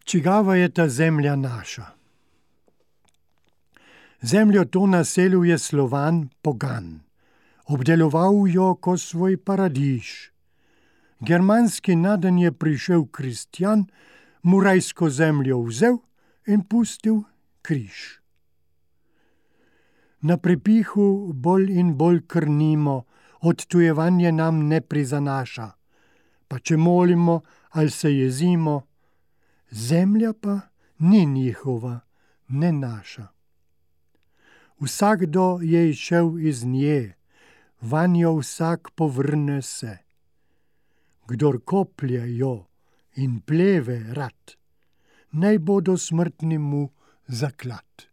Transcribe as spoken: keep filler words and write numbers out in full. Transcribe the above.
Čigava je ta zemlja naša? Zemljo to naselil Slovan pogan. Obdeloval jo ko svoj paradiž. Germanski naden je prišel kristjan, mu rajsko zemljo vzel in pustil križ. Na prepihu bolj in bolj krnimo, odtujevanje nam ne prizanaša. Pa če molimo ali se jezimo, zemlja pa ni njihova, ne naša. Vsakdo je izšel iz nje, vanjo vsak povrne se. Kdor koplje jo in pleve rad, naj bo do smrtni mu zaklad.